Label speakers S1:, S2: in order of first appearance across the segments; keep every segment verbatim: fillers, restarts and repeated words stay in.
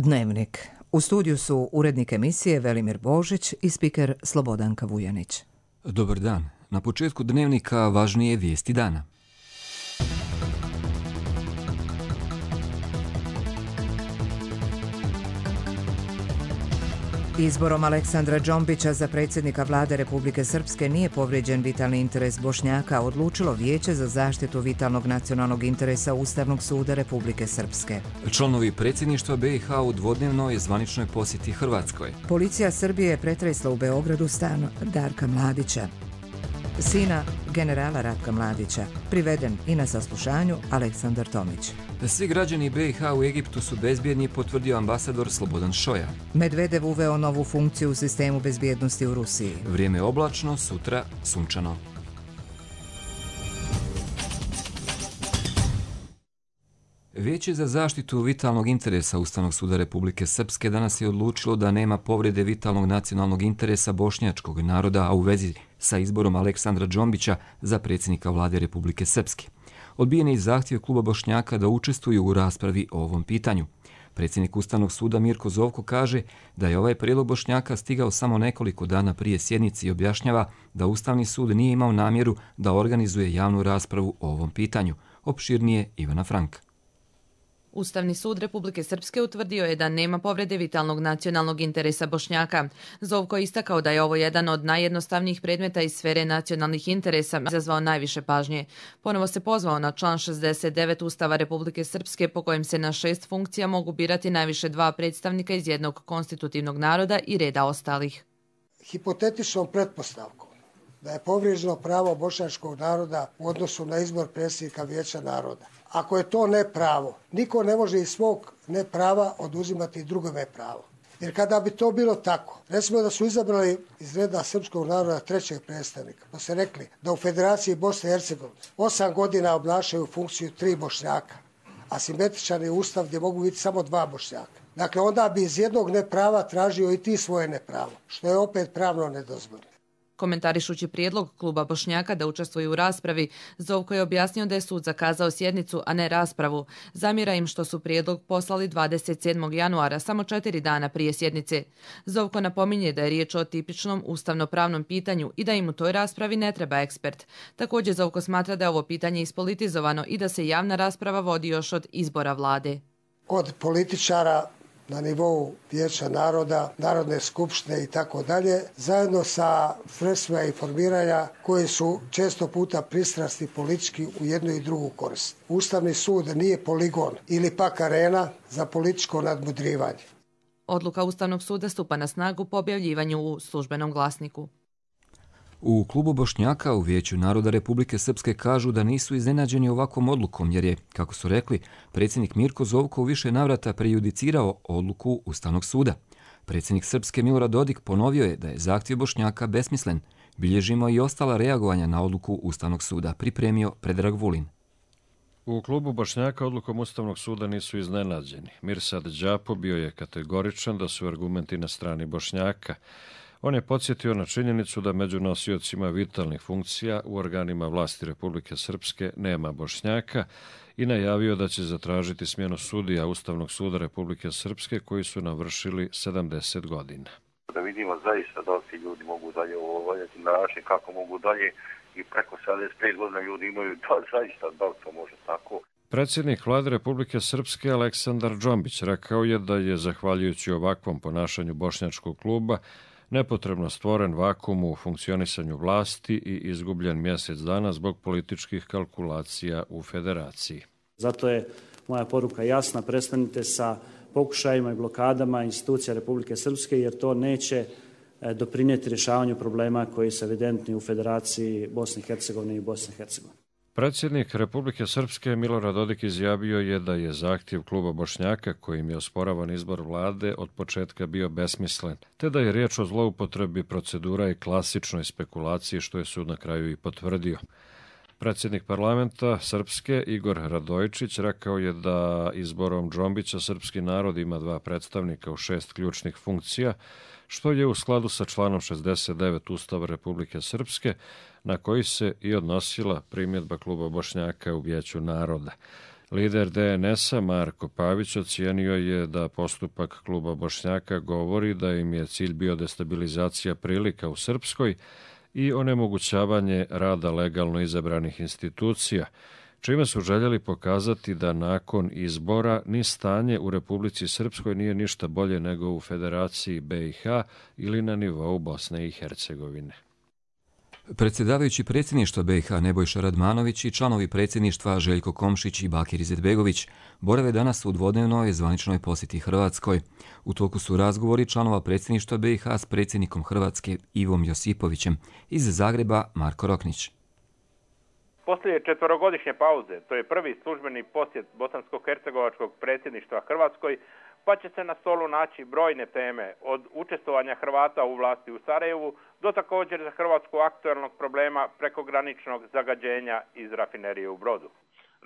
S1: Dnevnik. U studiju su urednik emisije Velimir Božić i spiker Slobodanka Vujanić.
S2: Dobar dan. Na početku Dnevnika važnije vijesti dana.
S1: Izborom Aleksandra Džombića za predsjednika vlade Republike Srpske nije povrijeđen vitalni interes Bošnjaka, odlučilo Vijeće za zaštitu vitalnog nacionalnog interesa Ustavnog suda Republike Srpske.
S2: Članovi predsjedništva B i H u dvodnevnoj zvaničnoj posjeti Hrvatskoj.
S1: Policija Srbije je pretresla u Beogradu stan Darka Mladića, sina generala Ratka Mladića, priveden i na saslušanju Aleksandar Tomić.
S2: Svi građani B i H u Egiptu su bezbjedni, potvrdio ambasador Slobodan Šoja.
S1: Medvedev uveo novu funkciju u sistemu bezbjednosti u Rusiji.
S2: Vrijeme oblačno, sutra sunčano. Vijeće za zaštitu vitalnog interesa Ustavnog suda Republike Srpske danas je odlučilo da nema povrede vitalnog nacionalnog interesa bošnjačkog naroda, a u vezi sa izborom Aleksandra Džombića za predsjednika vlade Republike Srpske. Odbijen je i zahtjev kluba Bošnjaka da učestvuju u raspravi o ovom pitanju. Predsjednik Ustavnog suda Mirko Zovko kaže da je ovaj prijedlog Bošnjaka stigao samo nekoliko dana prije sjednice i objašnjava da Ustavni sud nije imao namjeru da organizuje javnu raspravu o ovom pitanju. Opširnije Ivana Frank.
S3: Ustavni sud Republike Srpske utvrdio je da nema povrede vitalnog nacionalnog interesa Bošnjaka. Zovko je istakao da je ovo jedan od najjednostavnijih predmeta iz sfere nacionalnih interesa, izazvao najviše pažnje. Ponovo se pozvao na član šezdeset devet Ustava Republike Srpske po kojem se na šest funkcija mogu birati najviše dva predstavnika iz jednog konstitutivnog naroda i reda ostalih.
S4: Hipotetičnom pretpostavkom da je povrijeđeno pravo bošnjačkog naroda u odnosu na izbor predsjednika Vijeća naroda. Ako je to nepravo, niko ne može iz svog neprava oduzimati drugome pravo. Jer kada bi to bilo tako, recimo da su izabrali iz reda srpskog naroda trećeg predstavnika, pa se rekli da u Federaciji Bosne i Hercegovine osam godina obnašaju funkciju tri Bošnjaka, a simetričan je ustav gdje mogu biti samo dva Bošnjaka. Dakle, onda bi iz jednog neprava tražio i ti svoje nepravo, što je opet pravno nedozvoljeno.
S3: Komentarišući prijedlog kluba Bošnjaka da učestvuju u raspravi, Zovko je objasnio da je sud zakazao sjednicu, a ne raspravu. Zamjera im što su prijedlog poslali dvadeset sedmog januara, samo četiri dana prije sjednice. Zovko napominje da je riječ o tipičnom ustavno-pravnom pitanju i da im u toj raspravi ne treba ekspert. Također Zovko smatra da je ovo pitanje ispolitizovano i da se javna rasprava vodi još od izbora vlade.
S4: Kod političara na nivou Vijeća naroda, Narodne skupštine i tako dalje, zajedno sa sredstvima informiranja koji su često puta pristrasti politički u jednu i drugu korist. Ustavni sud nije poligon ili pak arena za političko nadmudrivanje.
S3: Odluka Ustavnog suda stupa na snagu po objavljivanju u službenom glasniku.
S2: U klubu Bošnjaka u Vijeću naroda Republike Srpske kažu da nisu iznenađeni ovakvom odlukom, jer je, kako su rekli, predsjednik Mirko Zovko u više navrata prejudicirao odluku Ustavnog suda. Predsjednik Srpske Milorad Dodik ponovio je da je zahtjev Bošnjaka besmislen. Bilježimo i ostala reagovanja na odluku Ustavnog suda, pripremio Predrag Vulin.
S5: U klubu Bošnjaka odlukom Ustavnog suda nisu iznenađeni. Mirsad Đapo bio je kategoričan da su argumenti na strani Bošnjaka. On je podsjetio na činjenicu da među nosiocima vitalnih funkcija u organima vlasti Republike Srpske nema Bošnjaka i najavio da će zatražiti smjenu sudija Ustavnog suda Republike Srpske koji su navršili sedamdeset godina.
S6: Da vidimo zaista da li ti ljudi mogu dalje obavljati na način kako mogu dalje i preko sedamdeset pet godina ljudi imaju da zaista da li to može tako.
S5: Predsjednik vlade Republike Srpske Aleksandar Džombić rekao je da je zahvaljujući ovakvom ponašanju bošnjačkog kluba nepotrebno stvoren vakum u funkcionisanju vlasti i izgubljen mjesec dana zbog političkih kalkulacija u federaciji.
S7: Zato je moja poruka jasna, prestanite sa pokušajima i blokadama institucija Republike Srpske, jer to neće doprinijeti rješavanju problema koji su evidentni u Federaciji Bosne i Hercegovine i Bosne i Hercegovine.
S5: Predsjednik Republike Srpske Milorad Dodik izjavio je da je zahtjev kluba Bošnjaka kojim je osporavan izbor vlade od početka bio besmislen, te da je riječ o zloupotrebi procedura i klasičnoj spekulaciji, što je sud na kraju i potvrdio. Predsjednik parlamenta Srpske Igor Radojčić rekao je da izborom Džombića srpski narod ima dva predstavnika u šest ključnih funkcija, što je u skladu sa članom šezdeset devet Ustava Republike Srpske, na koji se i odnosila primjedba kluba Bošnjaka u Vijeću naroda. Lider D N S-a Marko Pavić ocijenio je da postupak kluba Bošnjaka govori da im je cilj bio destabilizacija prilika u Srpskoj i onemogućavanje rada legalno izabranih institucija, čime su željeli pokazati da nakon izbora ni stanje u Republici Srpskoj nije ništa bolje nego u Federaciji B i H ili na nivou Bosne i Hercegovine.
S2: Predsjedavajući predsjedništva B i H Nebojša Radmanović i članovi predsjedništva Željko Komšić i Bakir Izetbegović borave danas u dvodnevnoj zvaničnoj posjeti Hrvatskoj. U toku su razgovori članova predsjedništva B i H s predsjednikom Hrvatske Ivom Josipovićem, iz Zagreba Marko Roknić.
S8: Poslije četverogodišnje pauze, to je prvi službeni posjet bosansko-hercegovačkog predsjedništva Hrvatskoj, pa će se na stolu naći brojne teme, od učestvovanja Hrvata u vlasti u Sarajevu do također za Hrvatsku aktualnog problema prekograničnog zagađenja iz rafinerije u Brodu.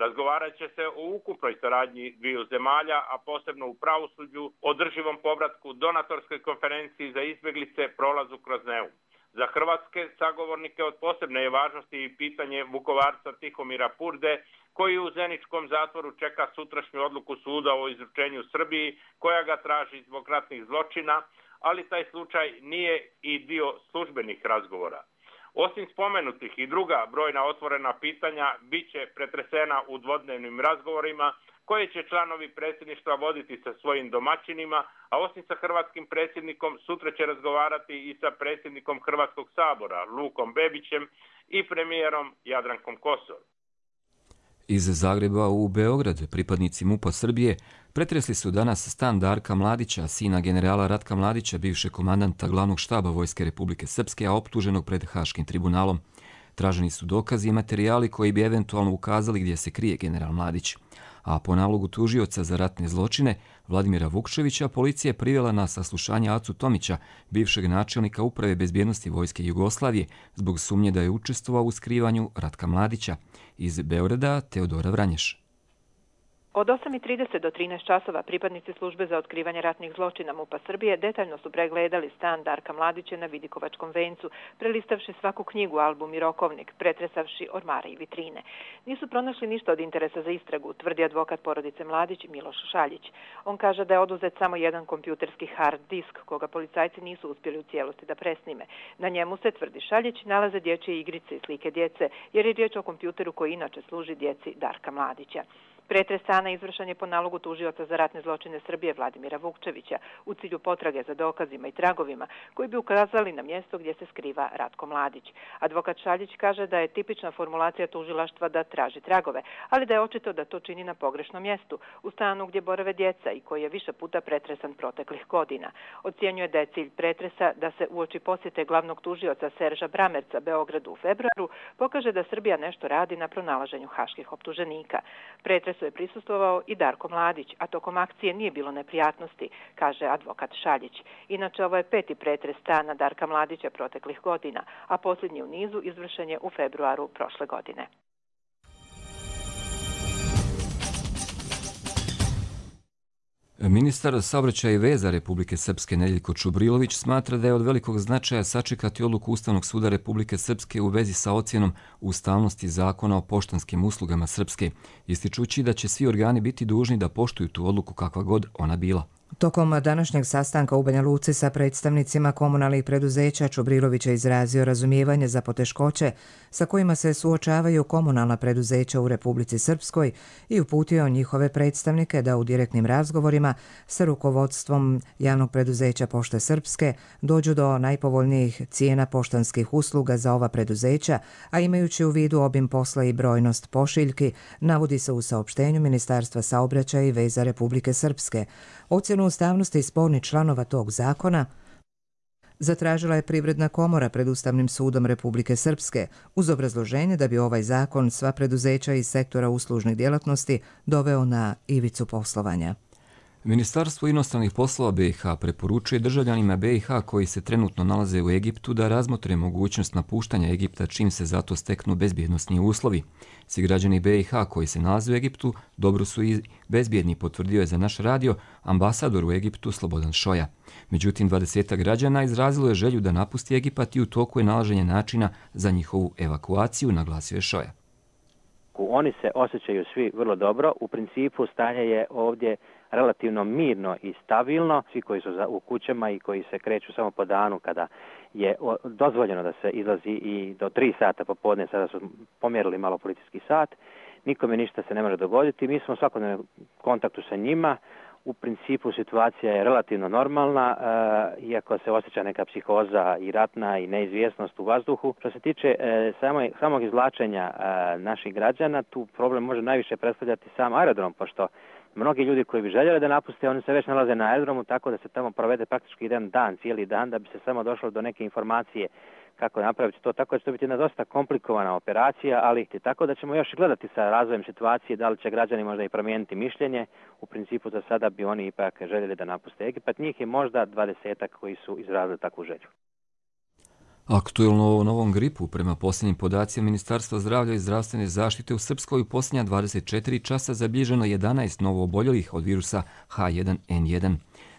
S8: Razgovarat će se o ukupnoj saradnji dviju zemalja, a posebno u pravosuđu, održivom povratku, donatorskoj konferenciji za izbjeglice, prolazu kroz Neum. Za hrvatske sagovornike od posebne je važnosti i pitanje Vukovarca Tihomira Purde, koji u Zeničkom zatvoru čeka sutrašnju odluku suda o izručenju Srbiji, koja ga traži zbog ratnih zločina, ali taj slučaj nije i dio službenih razgovora. Osim spomenutih i druga brojna otvorena pitanja bit će pretresena u dvodnevnim razgovorima, koje će članovi predsjedništva voditi sa svojim domaćinima, a osim sa hrvatskim predsjednikom sutra će razgovarati i sa predsjednikom Hrvatskog sabora Lukom Bebićem i premijerom Jadrankom Kosor.
S2: Iz Zagreba u Beograd pripadnici MUP-a Srbije pretresli su danas stan Darka Mladića, sina generala Ratka Mladića, bivšeg komandanta glavnog štaba Vojske Republike Srpske, a optuženog pred Haškim tribunalom. Traženi su dokazi i materijali koji bi eventualno ukazali gdje se krije general Mladić. A po nalogu tužioca za ratne zločine Vladimira Vukčevića policija je privela na saslušanje Acu Tomića, bivšeg načelnika Uprave bezbjednosti Vojske Jugoslavije, zbog sumnje da je učestvovao u skrivanju Ratka Mladića. Iz Beograda Teodora Vranješ.
S9: Od osam i trideset do trinaest časova pripadnici službe za otkrivanje ratnih zločina MUP-a Srbije detaljno su pregledali stan Darka Mladića na Vidikovačkom vencu, prelistavši svaku knjigu, album i rokovnik, pretresavši ormare i vitrine. Nisu pronašli ništa od interesa za istragu, tvrdi advokat porodice Mladić Miloš Šaljić. On kaže da je oduzet samo jedan kompjuterski hard disk, koga policajci nisu uspjeli u cijelosti da presnime. Na njemu se, tvrdi Šaljić, nalaze dječje igrice i slike djece, jer je riječ o kompjuteru koji inače služi djeci Darka Mladića. Pretres stana izvršen je po nalogu tužioca za ratne zločine Srbije Vladimira Vukčevića u cilju potrage za dokazima i tragovima koji bi ukazali na mjesto gdje se skriva Ratko Mladić. Advokat Šaljić kaže da je tipična formulacija tužilaštva da traži tragove, ali da je očito da to čini na pogrešnom mjestu, u stanu gdje borave djeca i koji je više puta pretresan proteklih godina. Ocjenjuje da je cilj pretresa da se uoči posjete glavnog tužioca Serža Bramerca Beogradu u februaru pokaže da Srbija nešto radi na pronalaženju haških optuženika. Pretres je prisustvovao i Darko Mladić, a tokom akcije nije bilo neprijatnosti, kaže advokat Šaljić. Inače, ovo je peti pretres stana Darka Mladića proteklih godina, a posljednji u nizu izvršen je u februaru prošle godine.
S2: Ministar saobraćaja i veza Republike Srpske Nedeljko Čubrilović smatra da je od velikog značaja sačekati odluku Ustavnog suda Republike Srpske u vezi sa ocjenom ustavnosti zakona o poštanskim uslugama Srpske, ističući da će svi organi biti dužni da poštuju tu odluku kakva god ona bila.
S1: Tokom današnjeg sastanka u Banja Luci sa predstavnicima komunalnih preduzeća Čubrilović je izrazio razumijevanje za poteškoće sa kojima se suočavaju komunalna preduzeća u Republici Srpskoj i uputio njihove predstavnike da u direktnim razgovorima sa rukovodstvom javnog preduzeća Pošte Srpske dođu do najpovoljnijih cijena poštanskih usluga za ova preduzeća, a imajući u vidu obim posla i brojnost pošiljki, navodi se u saopštenju Ministarstva saobraćaja i veza Republike Srpske. Ocjenu ustavnosti spornih članova tog zakona zatražila je Privredna komora pred Ustavnim sudom Republike Srpske uz obrazloženje da bi ovaj zakon sva preduzeća iz sektora uslužnih djelatnosti doveo na ivicu poslovanja.
S2: Ministarstvo inostranih poslova B i H preporučuje državljanima B i H koji se trenutno nalaze u Egiptu da razmotre mogućnost napuštanja Egipta čim se zato steknu bezbjednosni uslovi. Svi građani B i H koji se nalaze u Egiptu dobro su i bezbjedni, potvrdio je za naš radio ambasador u Egiptu Slobodan Šoja. Međutim, dvadesetak građana izrazilo je želju da napusti Egipat i u toku je nalaženje načina za njihovu evakuaciju, naglasio je Šoja.
S10: odluku. Oni se osjećaju svi vrlo dobro. U principu stanje je ovdje relativno mirno i stabilno. Svi koji su u kućama i koji se kreću samo po danu kada je dozvoljeno da se izlazi i do tri sata popodne, sada su pomjerili malo policijski sat. Nikome ništa se ne može dogoditi. Mi smo u svakodnevnom kontaktu sa njima. U principu situacija je relativno normalna, e, iako se osjeća neka psihoza i ratna i neizvjesnost u vazduhu. Što se tiče e, samo, samog izvlačenja e, naših građana, tu problem može najviše predstavljati sam aerodrom, pošto mnogi ljudi koji bi željeli da napuste, oni se već nalaze na aerodromu, tako da se tamo provede praktički jedan dan, cijeli dan, da bi se samo došlo do neke informacije kako napraviti to. Tako da će to biti jedna dosta komplikovana operacija, ali tako da ćemo još gledati sa razvojem situacije da li će građani možda i promijeniti mišljenje. U principu za sada bi oni ipak željeli da napuste Egipat. Njih je možda dvadesetak koji su izrazili takvu želju.
S2: Aktuelno o novom gripu, prema posljednjim podacima Ministarstva zdravlja i zdravstvene zaštite, u Srpskoj u posljednja dvadeset četiri časa zabilježeno jedanaest novo oboljelih od virusa H jedan N jedan.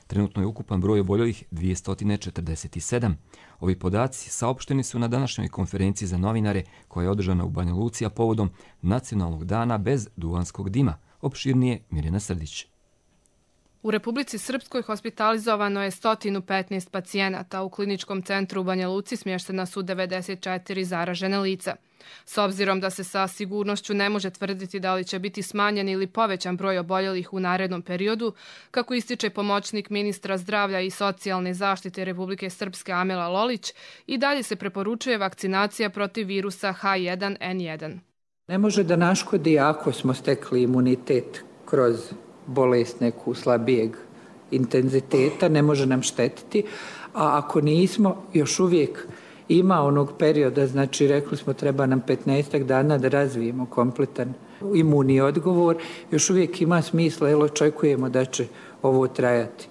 S2: Trenutno je ukupan broj oboljelih dvjesto četrdeset sedam. Ovi podaci saopšteni su na današnjoj konferenciji za novinare koja je održana u Banja Luci, a povodom Nacionalnog dana bez duvanskog dima. Opširnije Mirjana Srdić.
S11: U Republici Srpskoj hospitalizovano je sto petnaest pacijenata, u kliničkom centru u Banja Luci smještena su devedeset četiri zaražene lica. S obzirom da se sa sigurnošću ne može tvrditi da li će biti smanjen ili povećan broj oboljelih u narednom periodu, kako ističe pomoćnik ministra zdravlja i socijalne zaštite Republike Srpske Amela Lolić, i dalje se preporučuje vakcinacija protiv virusa H jedan N jedan.
S12: Ne može da naškodi ako smo stekli imunitet kroz bolest neku slabijeg intenziteta, ne može nam štetiti, a ako nismo, još uvijek ima onog perioda, znači rekli smo treba nam petnaestak dana da razvijemo kompletan imunni odgovor, još uvijek ima smisla, jer očekujemo da će ovo trajati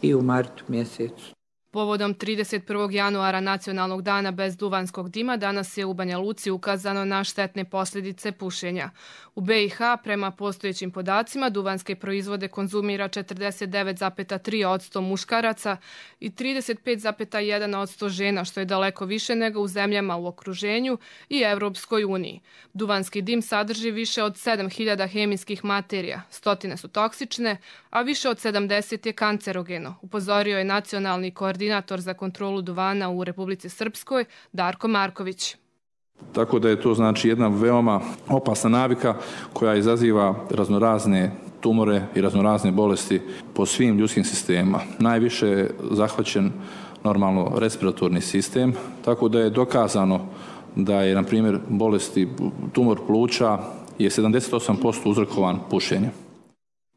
S12: i u martu mjesecu.
S11: Povodom trideset prvog januara Nacionalnog dana bez duvanskog dima, danas je u Banja Luci ukazano na štetne posljedice pušenja. U B i H, prema postojećim podacima, duvanske proizvode konzumira četrdeset devet zarez tri posto muškaraca i trideset pet zarez jedan posto žena, što je daleko više nego u zemljama u okruženju i Evropskoj uniji. Duvanski dim sadrži više od sedam hiljada hemijskih materija, stotine su toksične, a više od sedamdeset je kancerogeno, upozorio je nacionalni koordinator za kontrolu duvana u Republici Srpskoj, Darko Marković.
S13: Tako da je to znači jedna veoma opasna navika koja izaziva raznorazne tumore i raznorazne bolesti po svim ljudskim sistemima. Najviše je zahvaćen normalno respiratorni sistem, tako da je dokazano da je, na primjer, bolesti tumor pluća je sedamdeset osam posto uzrokovan pušenjem.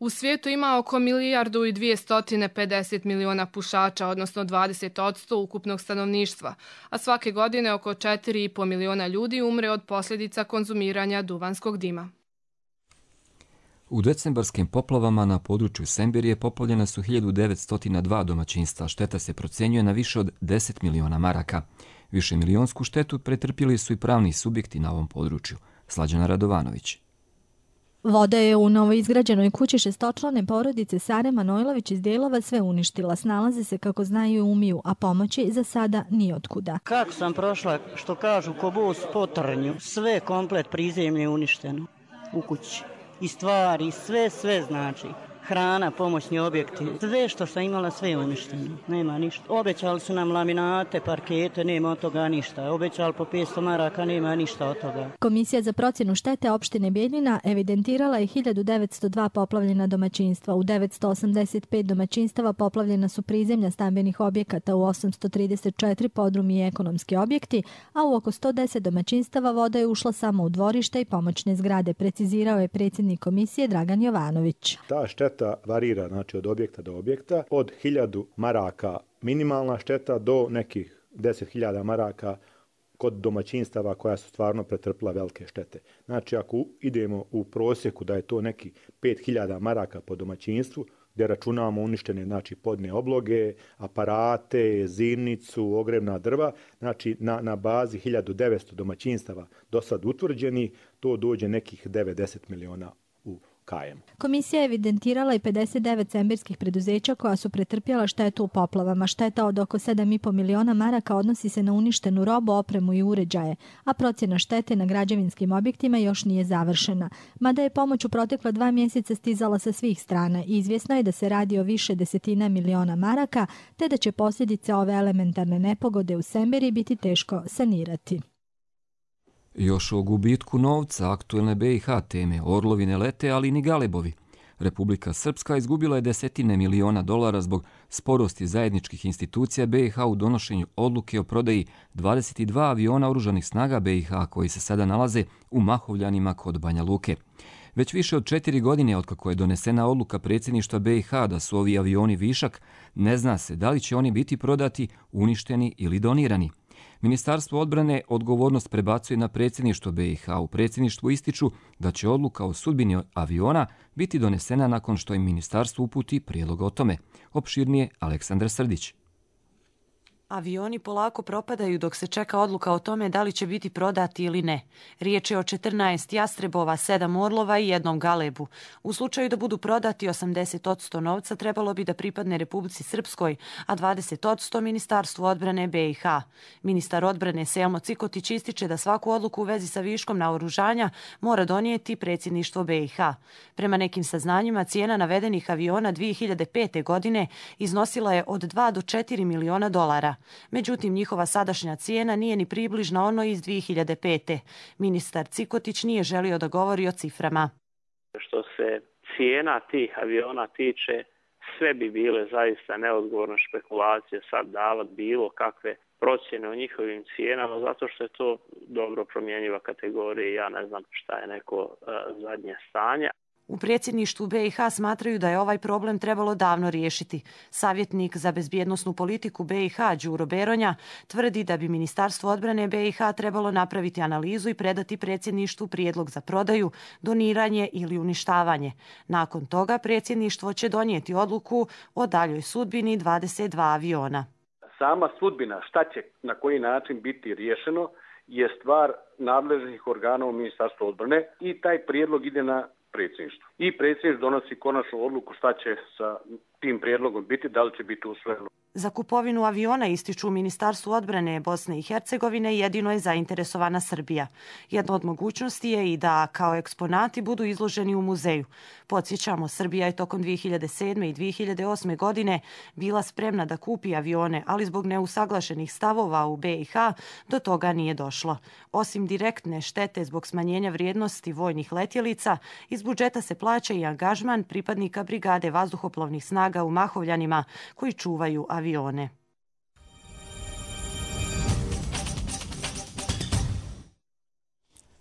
S11: U svijetu ima oko milijardu i dvjesto pedeset miliona pušača, odnosno dvadeset posto ukupnog stanovništva, a svake godine oko četiri i po miliona ljudi umre od posljedica konzumiranja duvanskog dima.
S2: U decembarskim poplavama na području Sembirije poplavljena su hiljadu devetsto dva domaćinstva, šteta se procjenjuje na više od deset miliona maraka. Više milionsku štetu pretrpjeli su i pravni subjekti na ovom području. Slađana Radovanović.
S14: Voda je u novoizgrađenoj kući šestočlane porodice Sare Manojlović iz dijelova sve uništila. Snalaze se kako znaju i umiju, a pomoći za sada ni otkuda.
S15: Kako sam prošla, što kažu, ko bus po trnju, sve komplet prizemlje uništeno u kući. I stvari, sve, sve znači. Hrana, pomoćni objekti, sve što sam imala, sve je uništeno. Nema ništa. Obećali su nam laminate, parkete, nema od toga ništa. Obećali po petsto maraka, nema ništa od toga.
S14: Komisija za procjenu štete opštine Bijeljina evidentirala je hiljadu devetsto dva poplavljena domaćinstva. U devetsto osamdeset pet domaćinstava poplavljena su prizemlja stambenih objekata, u osamsto trideset četiri podrumi i ekonomski objekti, a u oko sto deset domaćinstava voda je ušla samo u dvorište i pomoćne zgrade, precizirao je predsjednik komisije Dragan Jovanović.
S16: Ta šteta varira, znači, od objekta do objekta, od hiljadu maraka minimalna šteta do nekih deset hiljada maraka kod domaćinstava koja su stvarno pretrpila velike štete. Znači, ako idemo u prosjeku da je to neki pet hiljada maraka po domaćinstvu, gdje računamo uništene, znači, podne obloge, aparate, zimnicu, ogrevna drva, znači na, na bazi hiljadu devetsto domaćinstava do sad utvrđeni, to dođe nekih devedeset miliona u kajem.
S14: Komisija je evidentirala i pedeset devet sembirskih preduzeća koja su pretrpjela štetu u poplavama. Šteta od oko sedam i po miliona maraka odnosi se na uništenu robu, opremu i uređaje, a procjena štete na građevinskim objektima još nije završena. Mada je pomoć u protekla dva mjeseca stizala sa svih strana, izvjesno je da se radi o više desetina miliona maraka, te da će posljedice ove elementarne nepogode u Sembiri biti teško sanirati.
S2: Još o gubitku novca aktuelne B i H teme orlovi ne lete, ali ni galebovi. Republika Srpska izgubila je desetine miliona dolara zbog sporosti zajedničkih institucija B i H u donošenju odluke o prodaji dvadeset dva aviona oružanih snaga B i H koji se sada nalaze u Mahovljanima kod Banja Luke. Već više od četiri godine otkako je donesena odluka predsjedništva B i H da su ovi avioni višak, ne zna se da li će oni biti prodati, uništeni ili donirani. Ministarstvo odbrane odgovornost prebacuje na predsjedništvo B i H. U predsjedništvu ističu da će odluka o sudbini aviona biti donesena nakon što im ministarstvo uputi prijedlog o tome. Opširnije Aleksandar Srdić.
S17: Avioni polako propadaju dok se čeka odluka o tome da li će biti prodati ili ne. Riječ je o četrnaest jastrebova, sedam orlova i jednom galebu. U slučaju da budu prodati, osamdeset posto novca trebalo bi da pripadne Republici Srpskoj, a dvadeset posto Ministarstvu odbrane B i H. Ministar odbrane Selmo Cikotić ističe da svaku odluku u vezi sa viškom naoružanja mora donijeti predsjedništvo B i H. Prema nekim saznanjima, cijena navedenih aviona dvije hiljade pete. godine iznosila je od dva do četiri miliona dolara. Međutim, njihova sadašnja cijena nije ni približna onoj iz dvije hiljade pete. Ministar Cikotić nije želio da govori o ciframa.
S18: Što se cijena tih aviona tiče, sve bi bile zaista neodgovorne špekulacije sad davati bilo kakve procjene o njihovim cijenama, zato što je to dobro promjenjiva kategorija i ja ne znam šta je neko uh, zadnje stanje.
S17: U predsjedništvu B i H smatraju da je ovaj problem trebalo davno riješiti. Savjetnik za bezbjednosnu politiku B i H Đuro Beronja tvrdi da bi Ministarstvo odbrane B i H trebalo napraviti analizu i predati predsjedništvu prijedlog za prodaju, doniranje ili uništavanje. Nakon toga predsjedništvo će donijeti odluku o daljoj sudbini dvadeset dva aviona.
S19: Sama sudbina, šta će na koji način biti riješeno, je stvar nadležnih organa u Ministarstvu odbrane i taj prijedlog ide na predsjedništvo. I predsjedništvo donosi konačnu odluku šta će sa tim prijedlogom biti, da li će biti usvojeno.
S17: Za kupovinu aviona ističu u Ministarstvu odbrane Bosne i Hercegovine jedino je zainteresovana Srbija. Jedna od mogućnosti je i da kao eksponati budu izloženi u muzeju. Podsjećamo, Srbija je tokom dvije hiljade sedme. i dvije hiljade osme. godine bila spremna da kupi avione, ali zbog neusaglašenih stavova u B i H do toga nije došlo. Osim direktne štete zbog smanjenja vrijednosti vojnih letjelica, iz budžeta se plaća i angažman pripadnika brigade vazduhoplovnih snaga u Mahovljanima koji čuvaju avione.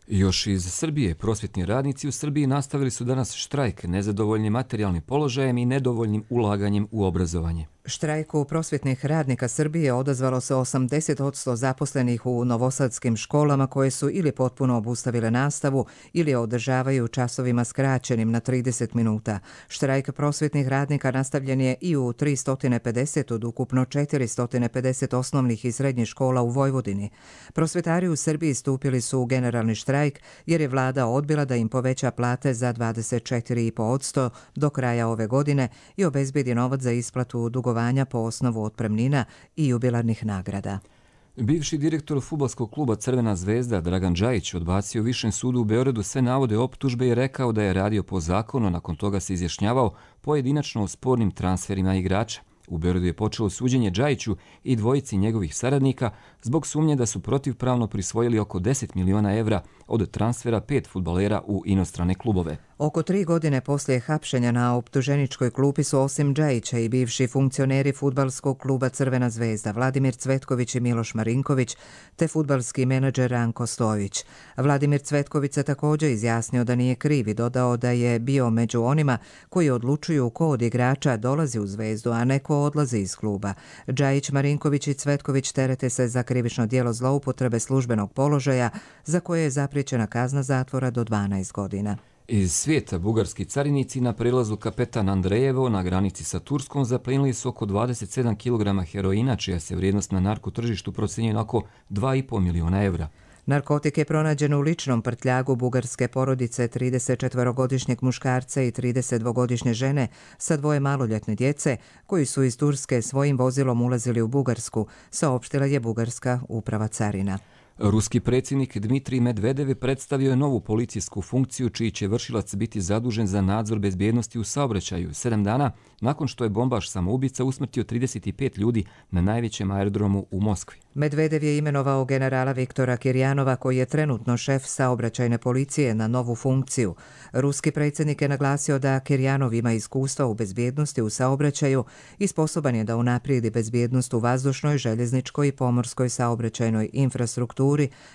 S2: Još iz Srbije, prosvjetni radnici u Srbiji nastavili su danas štrajk nezadovoljnim materijalnim položajem i nedovoljnim ulaganjem u obrazovanje.
S1: Štrajku prosvjetnih radnika Srbije odazvalo se osamdeset posto zaposlenih u novosadskim školama koje su ili potpuno obustavile nastavu ili održavaju časovima skraćenim na trideset minuta. Štrajk prosvjetnih radnika nastavljen je i u tristo pedeset od ukupno četiristo pedeset osnovnih i srednjih škola u Vojvodini. Prosvjetari u Srbiji stupili su u generalni štrajk jer je vlada odbila da im poveća plate za dvadeset četiri i po posto do kraja ove godine i obezbedi novac za isplatu dugovanja po osnovu otpremnina i jubilarnih nagrada.
S2: Bivši direktor fudbalskog kluba Crvena zvezda Dragan Džajić odbacio u Višem sudu u Beogradu sve navode optužbe i rekao da je radio po zakonu, nakon toga se izjašnjavao pojedinačno o spornim transferima igrača. U Beogradu je počelo suđenje Džajiću i dvojici njegovih saradnika zbog sumnje da su protivpravno prisvojili oko deset miliona evra od transfera pet fudbalera u inostrane klubove.
S1: Oko tri godine poslije hapšenja na optuženičkoj klupi su osim Džajića i bivši funkcioneri fudbalskog kluba Crvena zvezda Vladimir Cvetković i Miloš Marinković, te fudbalski menadžer Ranko Stojić. Vladimir Cvetković se također izjasnio da nije kriv i dodao da je bio među onima koji odlučuju ko od igrača dolazi u Zvezdu, a neko odlazi iz kluba. Džajić, Marinković i Cvetković terete se za krivično djelo zloupotrebe službenog položaja za koje je zapriječena kazna zatvora do dvanaest godina.
S2: Iz svijeta bugarski carinici na prelazu Kapetan Andrejevo na granici sa Turskom zaplenili su oko dvadeset sedam kilograma heroina, čija se vrijednost na narkotržištu procjenjuje na oko dva i po miliona evra.
S1: Narkotik je pronađen u ličnom prtljagu bugarske porodice tridesetčetvorogodišnjeg muškarca i tridesetdvogodišnje žene sa dvoje maloljetne djece koji su iz Turske svojim vozilom ulazili u Bugarsku, saopštila je bugarska uprava carina.
S2: Ruski predsjednik Dmitrij Medvedev predstavio je novu policijsku funkciju čiji će vršilac biti zadužen za nadzor bezbjednosti u saobraćaju sedam dana nakon što je bombaš samoubica usmrtio trideset pet ljudi na najvećem aerodromu u Moskvi.
S1: Medvedev je imenovao generala Viktora Kirjanova koji je trenutno šef saobraćajne policije na novu funkciju. Ruski predsjednik je naglasio da Kirjanov ima iskustva u bezbjednosti u saobraćaju i sposoban je da unaprijedi bezbjednost u vazdušnoj, željezničkoj i pomorskoj saobraćajnoj infrastrukturi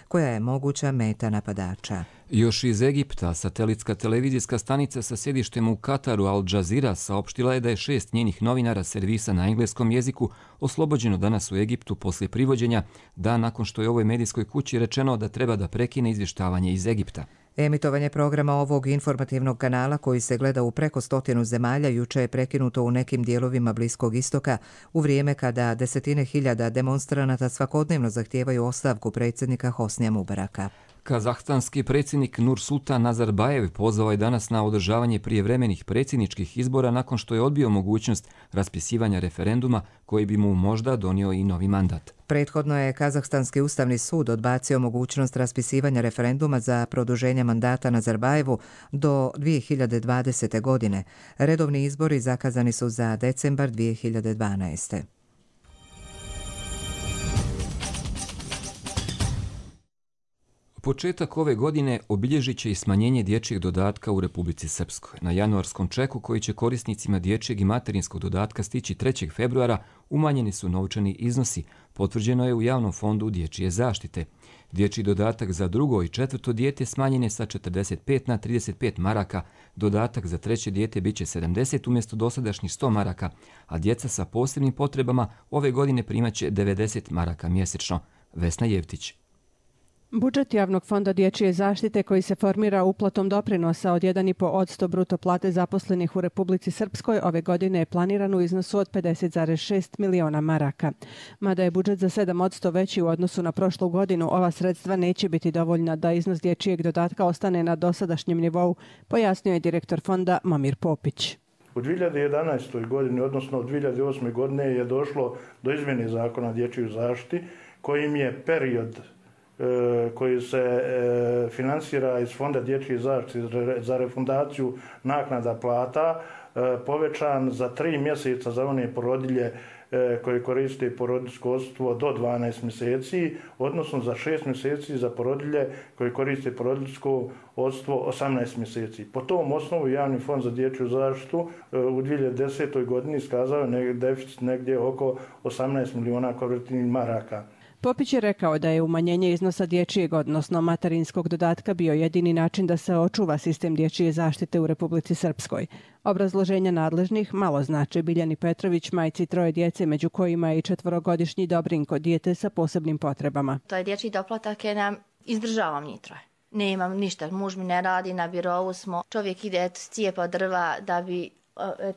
S1: koja je moguća meta napadača.
S2: Još iz Egipta, satelitska televizijska stanica sa sjedištem u Kataru Al Jazeera saopštila je da je šest njenih novinara servisa na engleskom jeziku oslobođeno danas u Egiptu poslije privođenja, dan nakon što je ovoj medijskoj kući rečeno da treba da prekine izvještavanje iz Egipta.
S1: Emitovanje programa ovog informativnog kanala koji se gleda u preko stotinu zemalja juče je prekinuto u nekim dijelovima Bliskog istoka u vrijeme kada desetine hiljada demonstranata svakodnevno zahtijevaju ostavku predsjednika Hosnija Mubaraka.
S2: Kazahstanski predsjednik Nursultan Nazarbajev pozvao je danas na održavanje prijevremenih predsjedničkih izbora nakon što je odbio mogućnost raspisivanja referenduma koji bi mu možda donio i novi mandat.
S1: Prethodno je Kazahstanski ustavni sud odbacio mogućnost raspisivanja referenduma za produženje mandata Nazarbajevu do dvije hiljade dvadesete. godine. Redovni izbori zakazani su za decembar dvije hiljade dvanaeste.
S2: Početak ove godine obilježit će i smanjenje dječjeg dodatka u Republici Srpskoj. Na januarskom čeku koji će korisnicima dječjeg i materinskog dodatka stići trećeg februara umanjeni su novčani iznosi, potvrđeno je u Javnom fondu dječje zaštite. Dječji dodatak za drugo i četvrto dijete smanjen je sa četrdeset pet na trideset pet maraka, dodatak za treće dijete bit će sedamdeset umjesto dosadašnjih sto maraka, a djeca sa posebnim potrebama ove godine primaće devedeset maraka mjesečno. Vesna Jevtić.
S20: Budžet Javnog fonda dječje zaštite koji se formira uplatom doprinosa od jedan i po posto bruto plate zaposlenih u Republici Srpskoj ove godine je planiran u iznosu od pedeset zarez šest miliona maraka. Mada je budžet za sedam posto veći u odnosu na prošlu godinu, ova sredstva neće biti dovoljna da iznos dječjeg dodatka ostane na dosadašnjem nivou, pojasnio je direktor fonda Momir Popić.
S21: U dvije hiljade jedanaestoj. godini, odnosno u dvije hiljade osme. godine je došlo do izmjene zakona o dječjoj zaštiti kojim je period koji se finansira iz Fonda dječje zaštite za refundaciju naknada plata povećan za tri mjeseca za one porodilje koje koriste porodiljsko odsustvo do dvanaest mjeseci, odnosno za šest mjeseci za porodilje koje koriste porodiljsko odsustvo osamnaest mjeseci. Po tom osnovu Javni fond za dječju zaštitu u dvije hiljade desetoj. godini iskazao je deficit negdje oko osamnaest miliona konvertibilnih maraka.
S20: Popić je rekao da je umanjenje iznosa dječjeg, odnosno materinskog dodatka bio jedini način da se očuva sistem dječje zaštite u Republici Srpskoj. Obrazloženja nadležnih malo znači Biljani Petrović, majci troje djece, među kojima je i četvorogodišnji Dobrinko, dijete sa posebnim potrebama.
S22: To je dječji doplatak je nam izdržavam njih troje. Nemam ništa, muž mi ne radi, na birovu smo. Čovjek ide cijepa drva da bi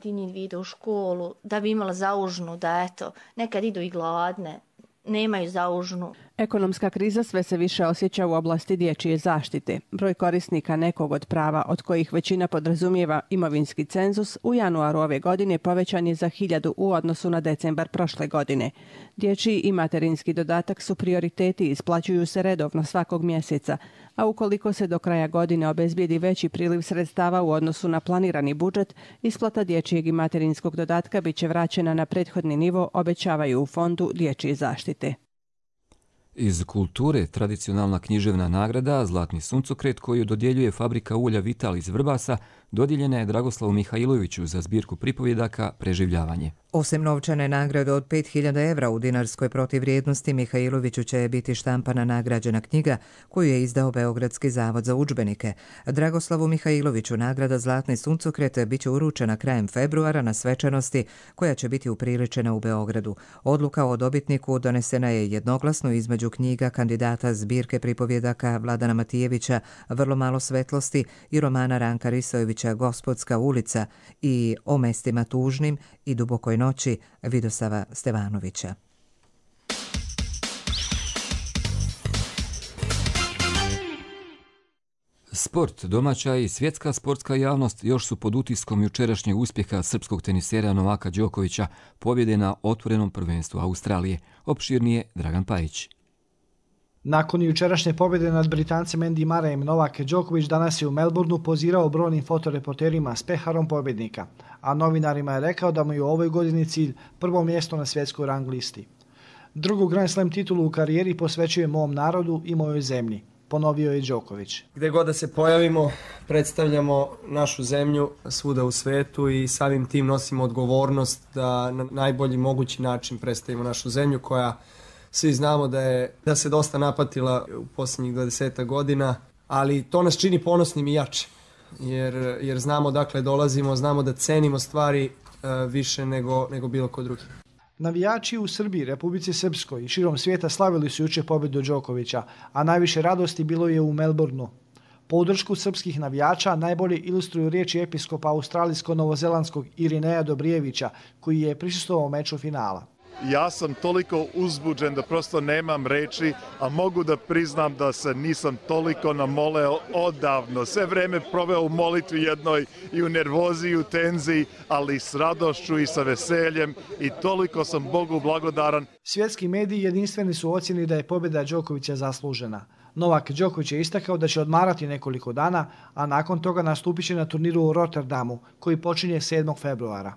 S22: ti njih ide u školu, da bi imala zaužnu, da eto, nekad idu i gladne. Nemaju zaužnu.
S20: Ekonomska kriza sve se više osjeća u oblasti dječje zaštite. Broj korisnika nekog od prava, od kojih većina podrazumijeva imovinski cenzus, u januaru ove godine povećan je za hiljadu u odnosu na decembar prošle godine. Dječji i materinski dodatak su prioriteti i isplaćuju se redovno svakog mjeseca, a ukoliko se do kraja godine obezbijedi veći priliv sredstava u odnosu na planirani budžet, isplata dječjeg i materinskog dodatka bit će vraćena na prethodni nivo, obećavaju u Fondu dječje zaštite.
S2: Iz kulture tradicionalna književna nagrada Zlatni suncokret koju dodjeljuje fabrika ulja Vital iz Vrbasa dodijeljena je Dragoslavu Mihajloviću za zbirku pripovjedaka Preživljavanje.
S1: Osim novčane nagrade od pet hiljada evra u dinarskoj protivrijednosti, Mihajloviću će biti štampana nagrađena knjiga koju je izdao Beogradski zavod za udžbenike. Dragoslavu Mihajloviću nagrada Zlatni suncokret bit će uručena krajem februara na svečanosti koja će biti upriličena u Beogradu. Odluka o dobitniku donesena je jednoglasno između knjiga kandidata zbirke pripovjedaka Vladana Matijevića Vrlo malo svetlosti i romana Ranka Risojevića Gospodska ulica i O mestima tužnim i Dubokoj noći Vidosava Stevanovića.
S2: Sport, domaća i svjetska sportska javnost još su pod utiskom jučerašnjeg uspjeha srpskog tenisera Novaka Đokovića, pobjede na otvorenom prvenstvu Australije. Opširnije Dragan Pajić.
S3: Nakon jučerašnje pobjede nad Britancem Andy Murrayem, Novak Đoković danas je u Melbourneu pozirao brojnim fotoreporterima s peharom pobjednika, a novinarima je rekao da mu je u ovoj godini cilj prvo mjesto na svjetskoj rang listi. Drugu Grand Slam titulu u karijeri posvećuje mom narodu i mojoj zemlji, ponovio je Đoković.
S4: Gdje god da se pojavimo, predstavljamo našu zemlju svuda u svetu i samim tim nosimo odgovornost da na najbolji mogući način predstavimo našu zemlju koja svi znamo da je da se dosta napatila u posljednjih dvadesetak godina, ali to nas čini ponosnim i jačim, jer, jer znamo dakle dolazimo, znamo da cenimo stvari uh, više nego, nego bilo ko drugi.
S3: Navijači u Srbiji, Republici Srpskoj i širom svijeta slavili su jučer pobjedu Đokovića, a najviše radosti bilo je u Melbourneu. Podršku srpskih navijača najbolje ilustruju riječi episkopa australijsko-novozelandskog Irineja Dobrijevića, koji je prisustvovao meču finala.
S23: Ja sam toliko uzbuđen da prosto nemam reči, a mogu da priznam da se nisam toliko namoleo odavno. Sve vreme proveo u molitvi jednoj i u nervozi i u tenziji, ali s radošću i sa veseljem i toliko sam Bogu blagodaran.
S3: Svjetski mediji jedinstveni su ocjeni da je pobjeda Đokovića zaslužena. Novak Đoković je istakao da će odmarati nekoliko dana, a nakon toga nastupit će na turniru u Rotterdamu, koji počinje sedmog februara.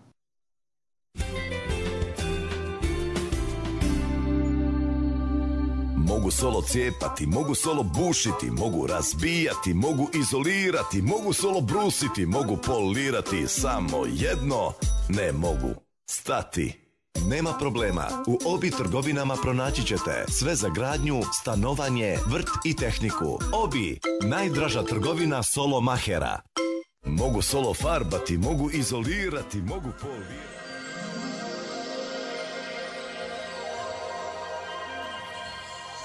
S24: Mogu solo cijepati, mogu solo bušiti, mogu razbijati, mogu izolirati, mogu solo brusiti, mogu polirati, samo jedno ne mogu stati. Nema problema, u Obi trgovinama pronaći ćete sve za gradnju, stanovanje, vrt i tehniku. Obi, najdraža trgovina solo mahera. Mogu solo farbati, mogu izolirati, mogu polirati.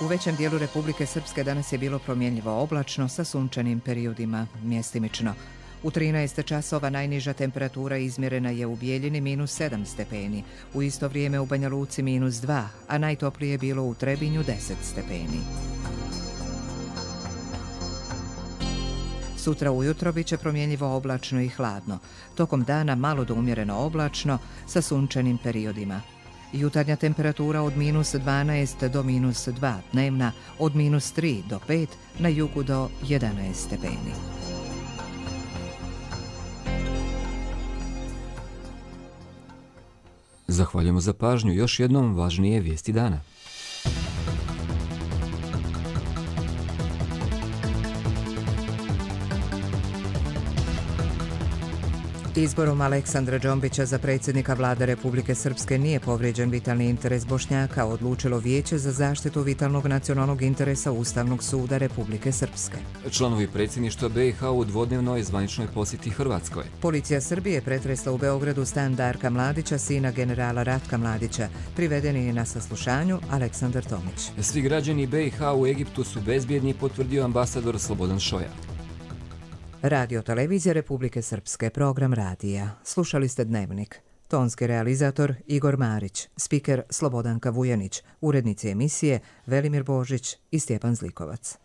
S1: U većem dijelu Republike Srpske danas je bilo promjenljivo oblačno sa sunčanim periodima mjestimično. U trinaest časova najniža temperatura izmjerena je u Bijeljini minus sedam stepeni, u isto vrijeme u Banja Luci minus dva, a najtoplije je bilo u Trebinju deset stepeni. Sutra ujutro bit će promjenljivo oblačno i hladno. Tokom dana malo do umjereno oblačno sa sunčanim periodima. Jutarnja temperatura od minus dvanaest do minus dva, dnevna od minus tri do pet, na jugu do jedanaest stepeni.
S2: Zahvaljujemo za pažnju. Još jednom važnije vijesti dana.
S1: Izborom Aleksandra Džombića za predsjednika vlade Republike Srpske nije povrijeđen vitalni interes Bošnjaka, odlučilo Vijeće za zaštitu vitalnog nacionalnog interesa Ustavnog suda Republike Srpske.
S2: Članovi predsjedništva B i H u dvodnevnoj zvaničnoj posjeti Hrvatskoj.
S1: Policija Srbije pretresla u Beogradu stan Darka Mladića, sina generala Ratka Mladića. Priveden je na saslušanju Aleksandar Tomić.
S2: Svi građani B i H u Egiptu su bezbjedni, potvrdio ambasador Slobodan Šoja.
S1: Radio televizija Republike Srpske, program radija. Slušali ste Dnevnik. Tonski realizator Igor Marić, spiker Slobodanka Vujanić, urednici emisije Velimir Božić i Stjepan Zlikovac.